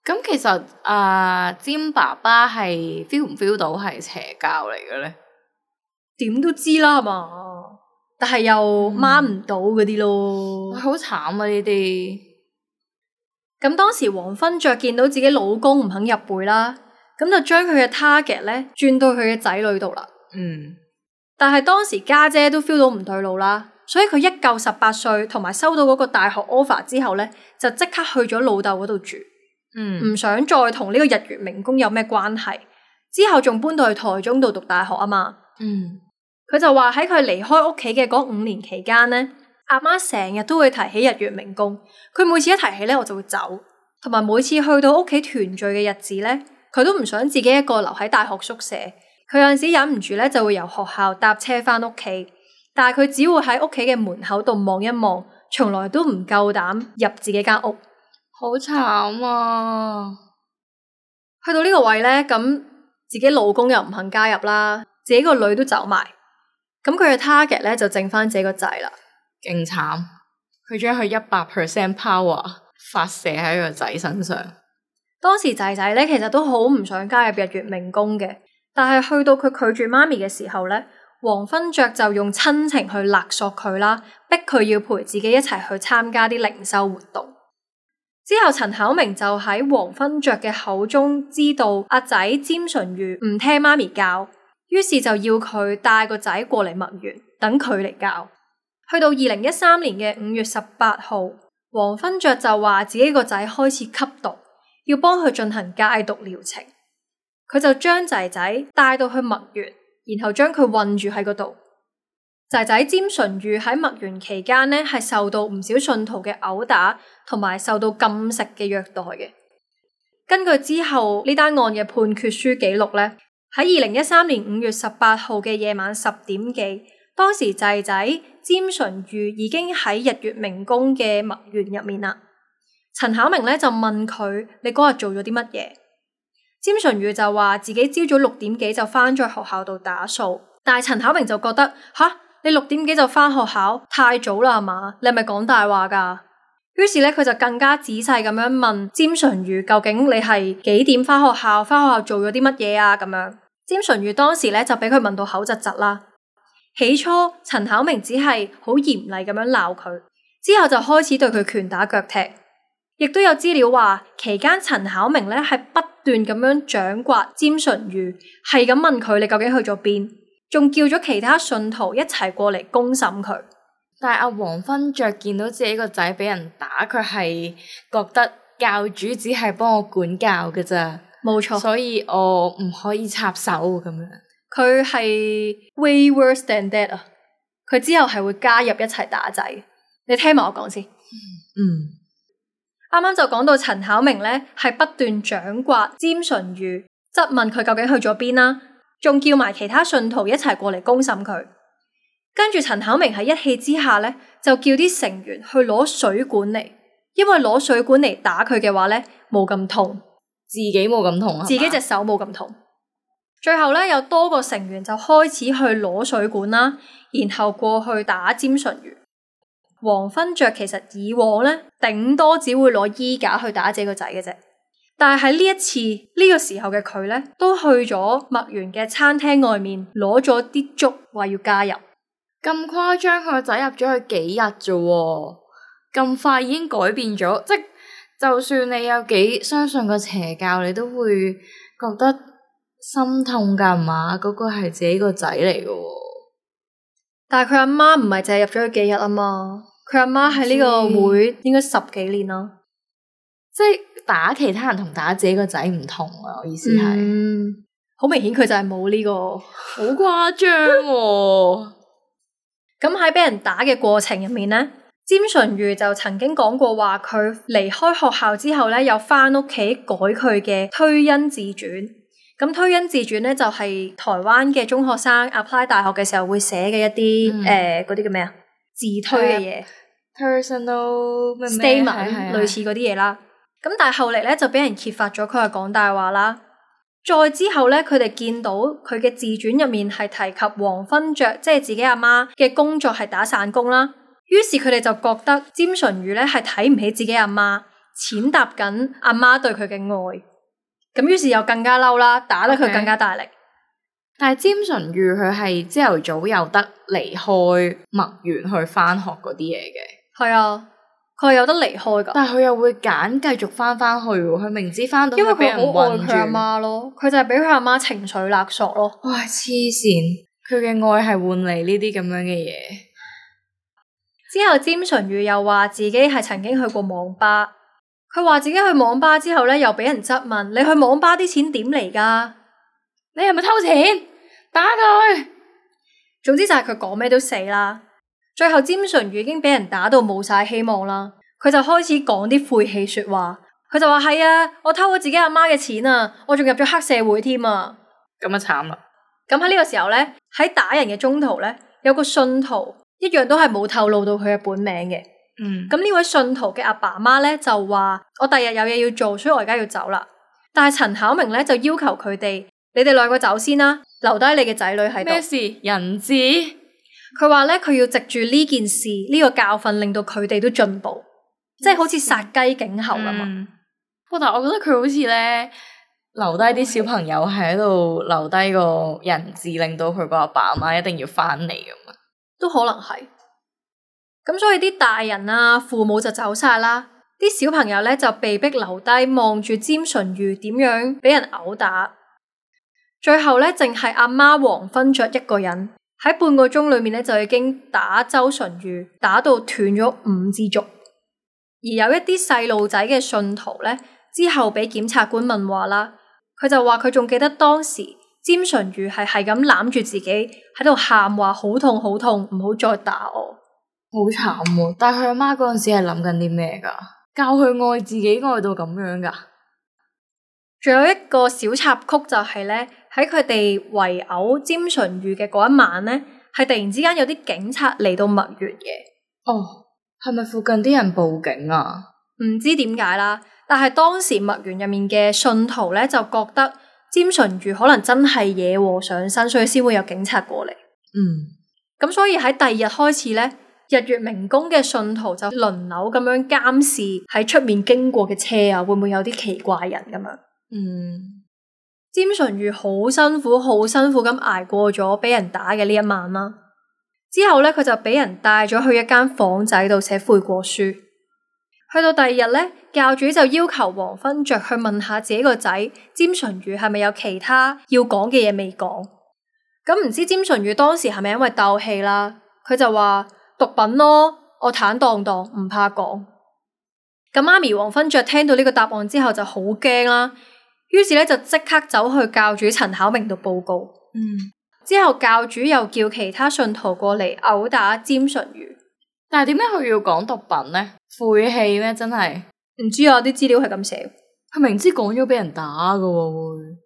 咁其實啊，詹爸爸係 feel 唔 feel 到係邪教嚟嘅咧？點都知啦，係嘛？但係又掹唔到嗰啲咯，好慘啊！呢啲咁當時黃芬雀見到自己老公唔肯入會啦，咁就將佢嘅 target 咧轉到佢嘅仔女度啦。嗯，但係當時家姐都 feel 到唔對路啦，所以佢一夠十八歲，同埋收到嗰個大學 offer 之後咧，就即刻去咗老豆嗰度住。嗯，唔想再同呢個日月明功有咩關係。之後仲搬到去台中度讀大學啊嘛。嗯。佢就話喺佢離開屋企嘅嗰五年期間咧，阿媽成日都會提起日月明功。佢每次一提起咧，我就會走。同埋每次去到屋企團聚嘅日子咧，佢都唔想自己一個留喺大學宿舍。佢有陣時忍唔住咧，就會由學校搭車翻屋企。但係佢只會喺屋企嘅門口度望一望，從來都唔夠膽入自己間屋。好慘啊！去到呢個位咧，咁自己老公又唔肯加入啦，自己個女都走埋。咁佢嘅 target 咧就剩翻自己個仔啦，勁慘！佢將佢一百 percent power 發射喺個仔身上。當時仔仔咧其實都好唔想加入日月明宮嘅，但係去到佢拒絕媽咪嘅時候咧，黃昏爵就用親情去勒索佢啦，逼佢要陪自己一齊去參加啲靈修活動。之後陳巧明就喺黃昏爵嘅口中知道阿仔詹淳于唔聽媽咪教，於是就要佢帶個仔過嚟墨園，等佢嚟教。去到二零一三年嘅五月十八號，黃昏爵就話自己個仔開始吸毒，要幫佢進行戒毒療程。佢就將仔仔帶到去墨園，然後將佢困住喺嗰度。仔仔詹淳于喺墨園期間呢，係受到唔少信徒嘅毆打，同埋受到禁食嘅虐待嘅。根據之後呢單案嘅判決書記錄呢，喺二零一三年五月十八號嘅夜晚十點幾，當時仔仔詹淳于已經喺日月明宮嘅墨園入面啦。陳巧明呢就問佢：你嗰日做咗啲乜嘢？詹淳于就話自己朝早六點幾就返咗學校度打掃，但係陳巧明就覺得吓。你六點幾就返學校，太早啦係嘛？你係咪講大話㗎？於是咧，佢就更加仔細咁樣問詹淳于，究竟你係幾點返學校？返學校做咗啲乜嘢啊？咁樣，詹淳于當時咧就俾佢問到口窒窒啦。起初陳巧明只係好嚴厲咁樣鬧佢，之後就開始對佢拳打腳踢。亦都有資料話，期間陳巧明咧係不斷咁樣掌摑詹淳于，係咁問佢你究竟去咗邊？仲叫咗其他信徒一齊過嚟公審佢。但係阿黃昏爵見到自己個仔俾人打，佢係覺得教主只係幫我管教嘅咋，冇錯，所以我唔可以插手咁樣。佢係 way worse than that 啊！佢之後係會加入一齊打仔。你聽埋我講先。嗯，啱啱就講到陳巧明咧係不斷掌摑詹淳于，質問佢究竟去咗邊啦。仲叫埋其他信徒一齊過嚟公審佢，跟住陳巧明喺一氣之下咧，就叫啲成員去攞水管嚟，因為攞水管嚟打佢嘅話咧冇咁痛，自己冇咁痛啊，自己隻手冇咁痛。最後咧有多個成員就開始去攞水管啦，然後過去打詹淳于。黃昏爵其實以往咧頂多只會攞衣架去打自己個仔嘅啫。但係喺呢一次呢、呢個時候嘅佢咧，都去咗墨園嘅餐廳外面攞咗啲粥，話要加入。咁誇張，佢個仔入咗去幾日啫？咁快已經改變咗，即就算你有幾相信個邪教，你都會覺得心痛噶嘛？嗰、嗰個係自己個仔嚟嘅。但係佢阿媽唔係淨係入咗去幾日啊嘛？佢阿媽喺呢個會應該十幾年啦，即係。打其他人同打自己個仔唔同啊！我意思係，好、嗯、明顯佢就係冇呢個，好誇張喎。咁喺俾人打嘅過程入面呢，詹淳于就曾經講過話，佢離開學校之後咧，又翻屋企改佢嘅推恩自傳。咁推恩自傳咧就係、是、台灣嘅中學生 apply 大學嘅時候會寫嘅一啲誒嗰啲叫咩啊？自推嘅嘢 ，personal statement 類似嗰啲嘢啦。咁但係後嚟咧就俾人揭發咗佢係講大話啦。再之後咧，佢哋見到佢嘅自傳入面係提及黃昏爵，即係自己阿媽嘅工作係打散工啦。於是佢哋就覺得詹淳于咧係睇唔起自己阿媽，踐踏緊阿媽對佢嘅愛。咁於是又更加嬲啦，打得佢更加大力。Okay. 但係詹淳于佢係朝頭早有得離開墨園去翻學嗰啲嘢嘅。係啊。佢係有得離開噶，但係佢又會揀繼續翻翻去喎。佢明知翻到，因為佢好愛佢阿媽咯，佢就係俾佢阿媽情緒勒索咯。哇！黐線，佢嘅愛係換嚟呢啲咁樣嘅嘢。之後詹淳于又話自己係曾經去過網吧，佢話自己去網吧之後咧，又俾人質問：你去網吧啲錢點嚟噶？你係咪偷錢？打佢！總之就係佢講咩都死啦。最後詹淳于已經俾人打到冇晒希望啦，佢就開始講啲晦氣說話。佢就話係啊，我偷咗自己阿媽嘅錢啊，我仲入咗黑社會添啊。咁啊慘啦！咁喺呢個時候咧，喺打人嘅中途咧，有個信徒一樣都係冇透露到佢嘅本名嘅。嗯。咁呢位信徒嘅阿爸阿媽咧就話：我第日有嘢要做，所以我而家要走啦。但係陳巧明咧就要求佢哋：你哋兩個走先啦，留低你嘅仔女喺度。咩事？人質？佢話咧，佢要藉住呢件事呢、呢個教訓，令到佢哋都進步，嗯、即係好似殺雞儆猴咁啊！不過但係我覺得佢好似咧留低啲小朋友喺度留低個人質，令到佢個阿爸阿媽一定要翻嚟咁啊，都可能係。咁所以啲大人啊父母就走晒啦，啲小朋友咧就被逼留低望住詹淳于點樣俾人毆打。最後咧淨係阿媽黃芬雀一個人喺半個鐘裏面咧就已經打周淳于打到斷咗五支足。而有一啲細路仔嘅信徒咧之後俾檢察官問話啦，佢就話佢仲記得當時詹淳于係係咁攬住自己喺度喊話好痛好痛，唔好再打我。好慘喎！但係佢阿媽嗰陣時係諗緊啲咩噶？教佢愛自己愛到咁樣噶？仲有一個小插曲就係咧，喺佢哋圍毆詹淳于嘅嗰一晚咧，係突然之間有啲警察嚟到墨園嘅。哦，係咪附近啲人報警啊？唔知點解啦，但係當時墨園入面嘅信徒咧就覺得詹淳于可能真係惹禍上身，所以先會有警察過嚟。嗯，咁所以喺第二日開始咧，日月明宮嘅信徒就輪流咁樣監視喺出面經過嘅車啊，會唔會有啲奇怪人咁樣？嗯，詹淳于好辛苦，好辛苦咁挨過咗俾人打嘅呢一晚啦。之後咧，佢就俾人帶咗去一間房仔度寫悔過書。去到第二日咧，教主就要求黃芬雀去問下自己個仔詹淳于係咪有其他要講嘅嘢未講。咁唔知詹淳于當時係咪因為鬥氣啦？佢就話毒品咯，我坦蕩蕩唔怕講。咁媽咪黃芬雀聽到呢個答案之後就好驚啦，於是咧就即刻走去教主陳巧明度報告。嗯，之後教主又叫其他信徒過嚟毆打詹淳于。但係點解佢要講毒品呢？晦氣咩？真係唔知啊，啲資料係咁寫。佢明知講咗俾人打噶喎會。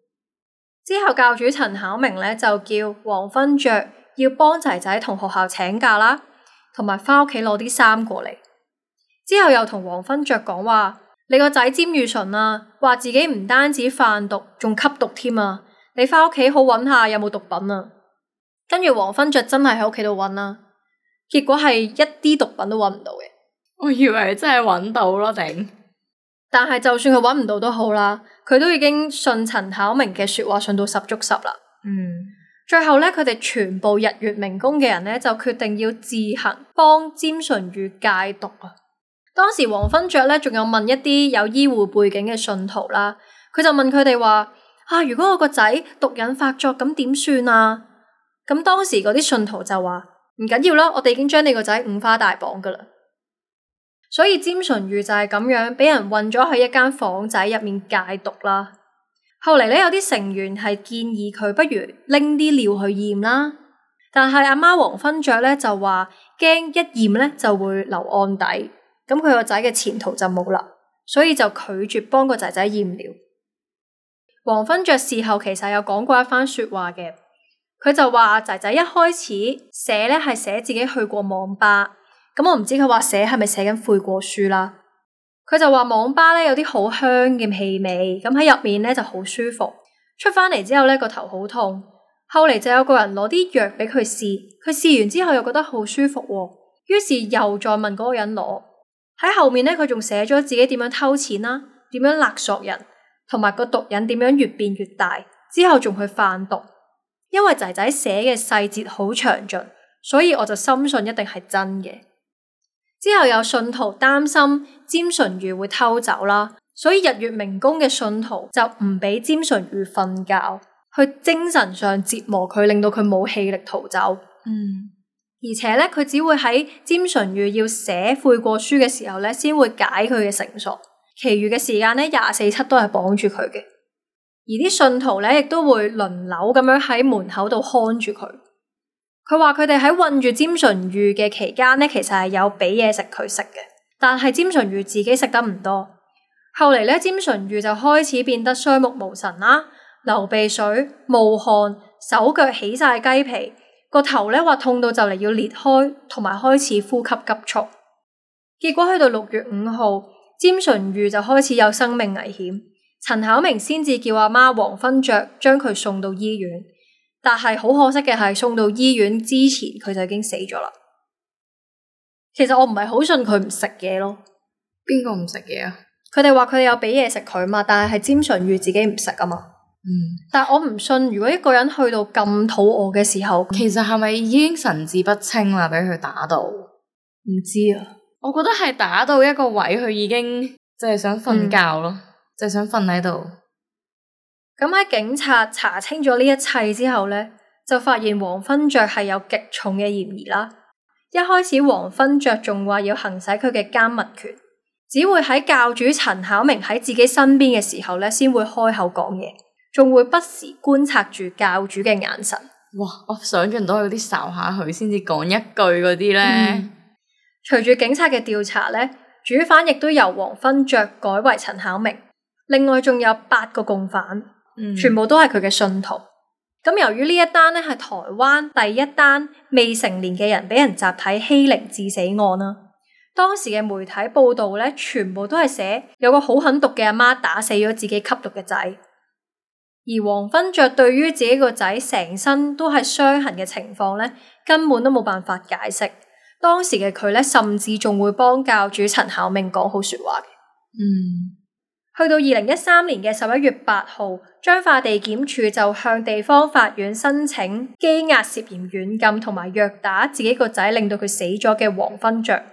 之後教主陳巧明咧就叫黃芬雀要幫仔仔同學校請假啦，同埋翻屋企攞啲衫過嚟。之後又同黃芬雀講話：你個仔詹裕純啊，話自己唔單止販毒，仲吸毒添啊！你翻屋企好揾下有冇毒品啊！跟住黃芬雀真係喺屋企度揾啦，結果係一啲毒品都揾唔到嘅。我以為真係揾到咯，頂！但係就算佢揾唔到都好啦，佢都已經信陳巧明嘅說話，信到十足十啦。嗯，最後咧，佢哋全部日月明宮嘅人咧就決定要自行幫詹淳于戒毒啊！當時黃芬雀咧仲有問一啲有醫護背景嘅信徒啦，佢就問佢哋話：啊，如果我個仔毒癮發作咁點算啊？咁當時嗰啲信徒就話：唔緊要啦，我哋已經將你個仔五花大綁噶啦。所以詹淳于就係咁樣俾人困咗喺一間房仔入面戒毒啦。後嚟咧有啲成員係建議佢不如拎啲尿去驗啦，但係阿媽黃芬雀咧就話驚一驗咧就會留案底，咁佢個仔嘅前途就冇啦，所以就拒絕幫個仔仔驗尿。黃芬雀事後其實有講過一番說話嘅，佢就話仔仔一開始寫咧係寫自己去過網吧。咁我唔知佢話寫係咪寫緊悔過書啦。佢就話網吧咧有啲好香嘅氣味，咁喺入面咧就好舒服。出翻嚟之後咧個頭好痛，後嚟就有個人攞啲藥俾佢試，佢試完之後又覺得好舒服喎，於是又再問嗰個人攞。喺後面咧佢仲寫咗自己點樣偷錢啦，點樣勒索人，同埋個毒癮點樣越變越大，之後仲去販毒。因為仔仔寫嘅細節好詳盡，所以我就深信一定係真嘅。之後有信徒擔心詹淳于會偷走啦，所以日月明宮嘅信徒就唔俾詹淳于瞓覺，去精神上折磨佢，令到佢冇氣力逃走。嗯，而且咧，佢只會喺詹淳于要寫悔過書嘅時候咧，先會解佢嘅繩索，其餘嘅時間咧廿四七都係綁住佢嘅。而啲信徒咧亦都會輪流咁樣喺門口度看住佢。佢話佢哋喺困住詹淳于嘅期間咧，其實係有俾嘢食佢食嘅，但係詹淳于自己食得唔多。後嚟咧，詹淳于就開始變得雙目無神啦，流鼻水、冒汗、手腳起晒雞皮，個頭咧話痛到就嚟要裂開，同埋開始呼吸急促。結果去到六月五號，詹淳于就開始有生命危險，陳巧明先至叫阿媽黃芬雀將佢送到醫院。但係好可惜嘅係，送到醫院之前佢就已經死咗啦。其實我唔係好信佢唔食嘢咯。邊個唔食嘢啊？佢哋話佢哋有俾嘢食佢嘛，但係係詹淳于自己唔食啊嘛。嗯，但係我唔信，如果一個人去到咁肚餓嘅時候，其實係咪已經神志不清啦？俾佢打到，唔知啊。我覺得係打到一個位，佢已經就係想瞓覺咯，嗯、就係想瞓喺度。咁喺警察查清咗呢一切之後呢，就發現黃勳爵係有極重嘅嫌疑啦。一開始黃勳爵仲話要行使佢嘅監密權，只會喺教主陳巧明喺自己身邊嘅時候呢，先會開口講嘢，仲會不時觀察住教主嘅眼神。哇！我想象到有啲睄下佢先至講一句嗰啲呢。嗯、隨住警察嘅調查呢，主犯亦都由黃勳爵改為陳巧明，另外仲有八個共犯。嗯、全部都係佢嘅信徒。咁由於呢一單咧係台灣第一單未成年嘅人俾人集體欺凌致死案啦，當時嘅媒體報道咧，全部都係寫有個好狠毒嘅阿媽打死咗自己吸毒嘅仔，而黃勳爵對於自己個仔成身都係傷痕嘅情況咧，根本都冇辦法解釋。當時嘅佢咧，甚至仲會幫教主陳巧明講好說話嘅。嗯。去到二零一三年嘅十一月八號，彰化地檢署就向地方法院申請羈押涉嫌軟禁同埋虐打自己個仔，令到佢死咗嘅黃勳爵。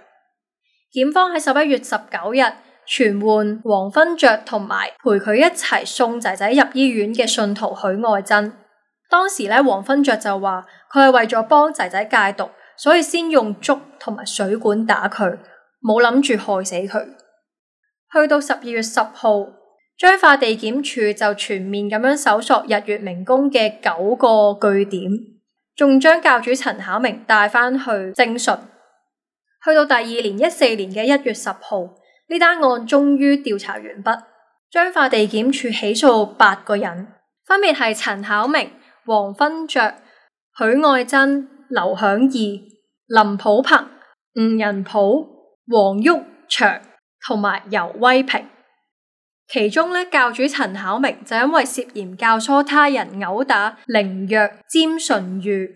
檢方喺十一月十九日傳喚黃勳爵同埋陪佢一齊送仔仔入醫院嘅信徒許愛珍。當時咧，黃勳爵就話佢係為咗幫仔仔戒毒，所以先用竹同埋水管打佢，冇諗住害死佢。去到十二月十號，彰化地檢署就全面咁樣搜索日月明宮嘅九個據點，仲將教主陳巧明帶返去偵訊。去到第二年一四年嘅一月十號，呢單案終於調查完畢，彰化地檢署起訴八個人，分別係陳巧明、黃勳爵、許愛珍、劉響義、林普鵬、吳仁普、黃毓祥同埋游威平。其中咧，教主陳巧明就因為涉嫌教唆他人毆打凌虐詹淳于，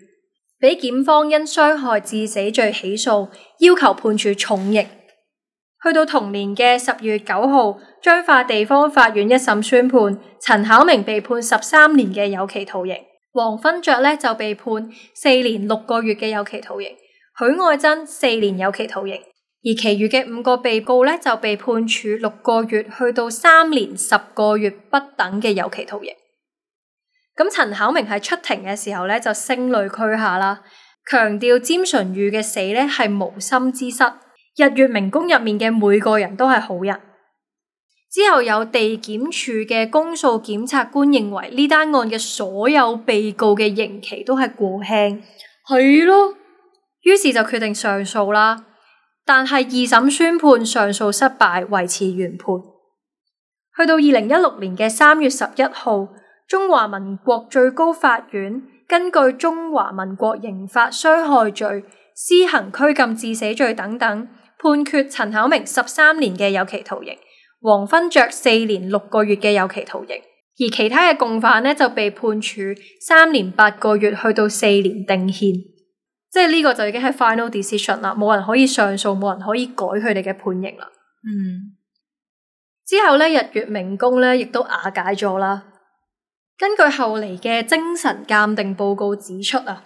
俾檢方因傷害致死罪起訴，要求判處重刑。去到同年嘅十月九號，彰化地方法院一審宣判，陳巧明被判十三年嘅有期徒刑，黃勳爵咧就被判四年六個月嘅有期徒刑，許愛珍四年有期徒刑。而其餘嘅五個被告咧就被判處六個月去到三年十個月不等嘅有期徒刑。咁陳巧明喺出庭嘅時候咧就聲淚俱下啦，強調詹淳于嘅死咧係無心之失，日月明宮入面嘅每個人都係好人。之後有地檢署嘅公訴檢察官認為呢單案嘅所有被告嘅刑期都係過輕，係咯，於是就決定上訴啦。但係二審宣判上訴失敗，維持原判。去到二零一六年嘅三月十一號，中華民國最高法院根據中華民國刑法傷害罪、施行拘禁致死罪等等，判決陳巧明十三年嘅有期徒刑，黃勳爵四年六個月嘅有期徒刑，而其他嘅共犯呢就被判處三年八個月去到四年定讞。即係呢個就已經係 final decision 啦，冇人可以上訴，冇人可以改佢哋嘅判刑啦。嗯，之後咧，日月明宮咧亦都瓦解咗啦。根據後嚟嘅精神鑑定報告指出啊，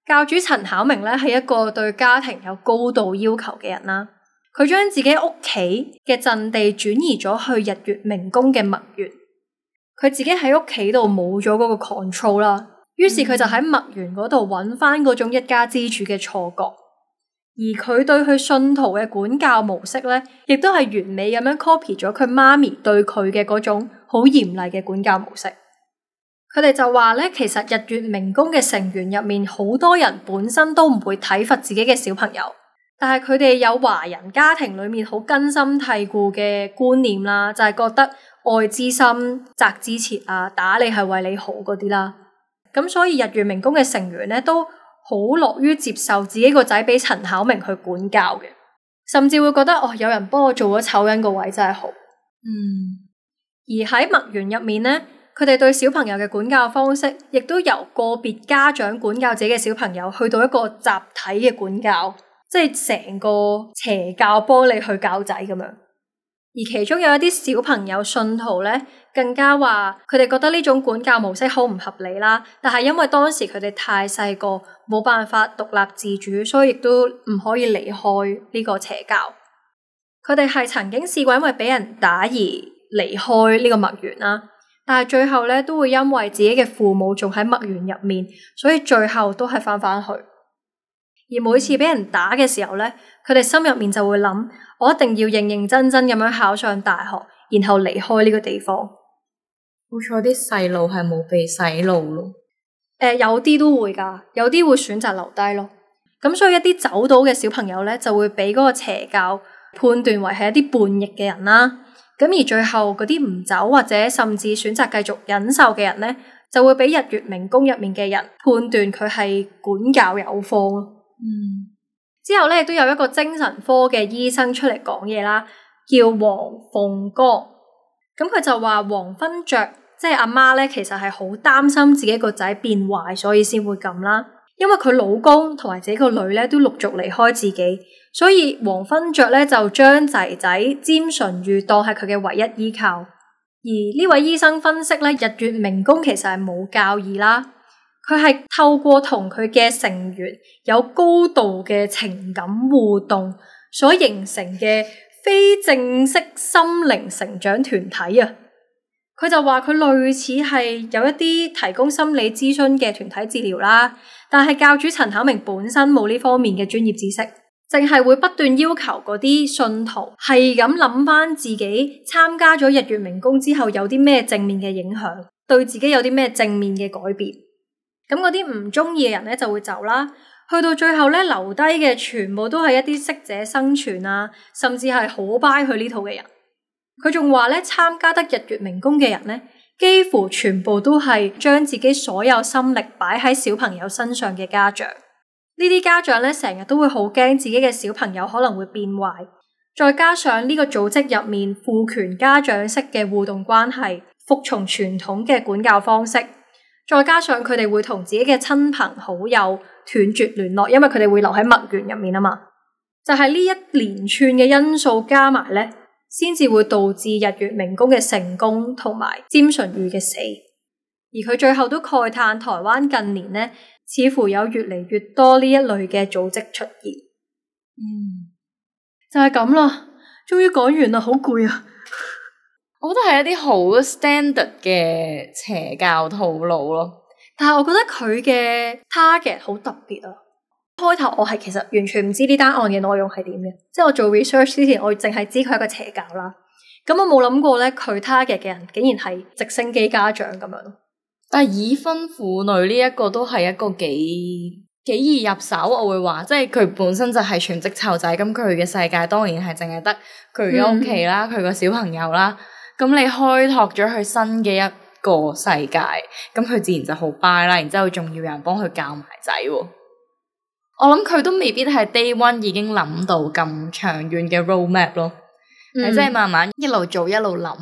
教主陳巧明咧係一個對家庭有高度要求嘅人啦。佢將自己屋企嘅陣地轉移咗去日月明宮嘅墨園，佢自己喺屋企度冇咗嗰個 control 啦。於是佢就喺墨園嗰度揾翻嗰種一家之主嘅錯覺，而佢對佢信徒嘅管教模式咧，亦都係完美咁樣 copy 咗佢媽咪對佢嘅嗰種好嚴厲嘅管教模式。佢哋就話咧，其實日月明宮嘅成員入面好多人本身都唔會體罰自己嘅小朋友，但係佢哋有華人家庭裏面好根深蒂固嘅觀念啦，就係覺得愛之深責之切啊，打你係為你好嗰啲啦。咁所以日月明宮嘅成員咧都好樂於接受自己個仔俾陳巧明去管教嘅，甚至會覺得哦，有人幫我做咗醜人個位真係好。嗯，而喺墨園入面咧，佢哋對小朋友嘅管教方式，亦都由個別家長管教自己嘅小朋友，去到一個集體嘅管教，即係成個邪教幫你去教仔咁樣。而其中有一啲小朋友信徒咧，更加話佢哋覺得呢種管教模式好唔合理啦。但係因為當時佢哋太細個，冇辦法獨立自主，所以亦都唔可以離開呢個邪教。佢哋係曾經試過因為俾人打而離開呢個墨園啦，但係最後咧都會因為自己嘅父母仲喺墨園入面，所以最後都係翻返去。而每次俾人打嘅時候咧，佢哋心入面就會諗，我一定要認認真真咁樣考上大學，然後離開呢個地方。好彩啲細路係冇被洗腦咯。誒、呃，有啲都會噶，有啲會選擇留低咯。咁所以一啲走到嘅小朋友咧，就會俾嗰個邪教判斷為係一啲叛逆嘅人啦。咁而最後嗰啲唔走或者甚至選擇繼續忍受嘅人咧，就會俾日月明宮入面嘅人判斷佢係管教有方咯。嗯，之後咧亦都有一個精神科嘅醫生出嚟講嘢啦，叫黃鳳剛。咁佢就話黃芬雀即係阿媽咧，其實係好擔心自己個仔變壞，所以先會咁啦。因為佢老公同埋自己個女咧都陸續離開自己，所以黃芬雀咧就將仔仔詹淳于當係佢嘅唯一依靠。而呢位醫生分析咧，日月明宮其實係冇教義啦。佢係透過同佢嘅成員有高度嘅情感互動所形成嘅非正式心靈成長團體啊。佢就話佢類似係有一啲提供心理諮詢嘅團體治療啦，但係教主陳巧明本身冇呢方面嘅專業知識，淨係會不斷要求嗰啲信徒係咁諗翻自己參加咗日月明宮之後有啲咩正面嘅影響，對自己有啲咩正面嘅改變。咁嗰啲唔中意嘅人咧就會走啦，去到最後咧留低嘅全部都係一啲適者生存啊，甚至係好 buy 佢呢套嘅人。佢仲話咧，參加得日月明宮嘅人咧，幾乎全部都係將自己所有心力擺喺小朋友身上嘅家長。呢啲家長咧成日都會好驚自己嘅小朋友可能會變壞，再加上呢個組織入面父權家長式嘅互動關係，服從傳統嘅管教方式。再加上佢哋會同自己嘅親朋好友斷絕聯絡，因為佢哋會留喺墨園入面啊嘛。就係呢一連串嘅因素加埋咧，先至會導致日月明宮嘅成功同埋詹淳于嘅死。而佢最後都慨嘆台灣近年咧，似乎有越嚟越多呢一類嘅組織出現。嗯，就係咁啦，終於講完啦，好攰啊！我覺得係一啲好 standard 嘅邪教套路咯，但係我覺得佢嘅 target 好特別啊。開頭我係其實完全唔知呢單案嘅內容係點嘅，即係我做 research 之前，我淨係知佢係一個邪教啦。咁我冇諗過咧，佢 target 嘅人竟然係直升機家長咁樣。但係已婚婦女呢一個都係一個幾幾易入手，我會話，即係佢本身就係全職湊仔，咁佢嘅世界當然係淨係得佢嘅屋企啦，佢個、嗯、小朋友啦。咁你開拓咗佢新嘅一個世界，咁佢自然就好 buy 啦。然之後仲要有人幫佢教埋仔喎。我諗佢都未必係 day one 已經諗到咁長遠嘅 roadmap 咯，係即係慢慢一路做一路諗。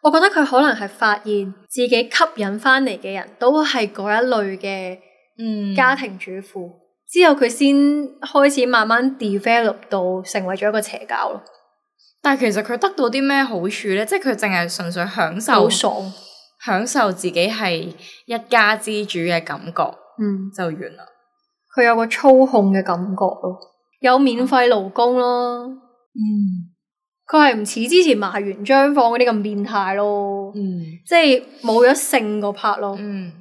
我覺得佢可能係發現自己吸引翻嚟嘅人都係嗰一類嘅嗯家庭主婦，嗯、之後佢先開始慢慢 develop 到成為咗一個邪教咯。但係其實佢得到啲咩好處咧？即係佢淨係純粹享受，好爽，享受自己係一家之主嘅感覺，嗯，就完啦。佢有個操控嘅感覺咯，有免費勞工咯，嗯，佢係唔似之前麻原彰晃嗰啲咁變態咯，嗯，即係冇咗性個 part 咯，嗯，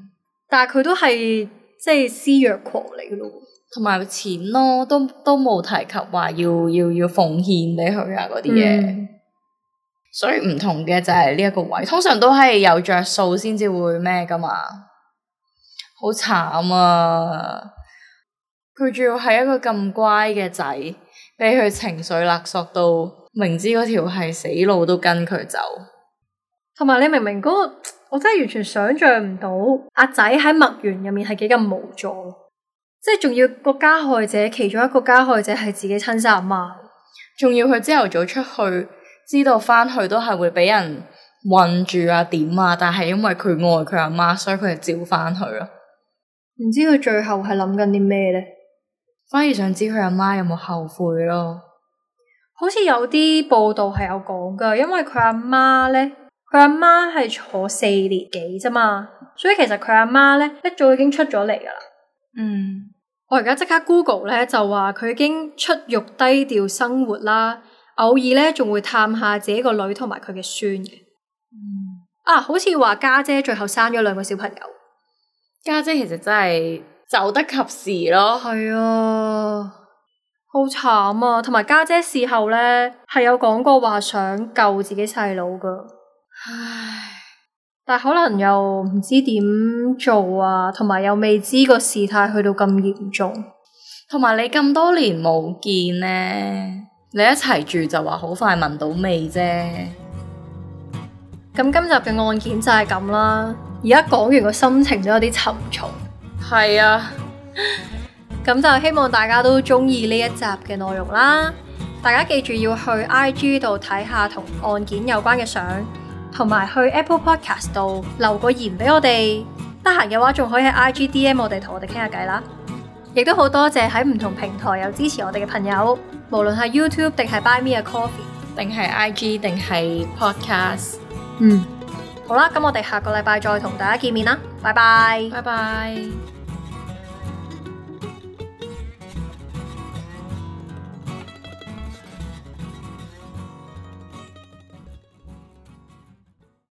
但係佢都係即係施虐狂嚟嘅咯。同埋錢咯，都都冇提及話要要要奉獻俾佢啊嗰啲嘢，嗯、所以唔同嘅就係呢一個位，通常都係有着數先至會咩噶嘛，好慘啊！佢仲要係一個咁乖嘅仔，俾佢情緒勒索到明知嗰條係死路都跟佢走，同埋你明明嗰、嗰個，我真係完全想象唔到阿仔喺墨園入面係幾咁無助。即係仲要個加害者，其中一個加害者係自己親生阿媽，仲要佢朝頭早出去，知道翻去都係會俾人困住啊點啊，但係因為佢愛佢阿媽，所以佢就照翻去咯。唔知佢最後係諗緊啲咩咧？反而想知佢阿媽有冇後悔咯。好似有啲報道係有講噶，因為佢阿媽咧，佢阿媽係坐四年幾啫嘛，所以其實佢阿媽咧一早已經出咗嚟噶啦。嗯，我而家即刻 Google 咧就話佢已經出獄低調生活啦，偶爾咧仲會探下自己個女同埋佢嘅孫嘅。嗯，啊，好似話家姐最後生咗兩個小朋友。家姐其實真係走得及時咯。係啊，好慘啊！同埋家姐事後咧係有講過話想救自己細佬噶，唉，但係可能又唔知點做啊，同埋又未知個事態去到咁嚴重。同埋你咁多年冇見咧，你一齊住就話好快聞到味啫。咁今集嘅案件就係咁啦。而家講完個心情都有啲沉重。係啊，咁就希望大家都中意呢一集嘅內容啦。大家記住要去 I G 度睇下同案件有關嘅相，同埋去 Apple Podcast 度留個言俾我哋。得閒嘅話，仲可以喺 I G D M 我哋，同我哋傾下偈啦。亦都好多謝喺唔同平台有支持我哋嘅朋友，無論係 YouTube 定係 Buy Me a Coffee， 定係 I G 定係 Podcast。嗯，好啦，咁我哋下個禮拜再同大家見面啦，拜拜，拜拜。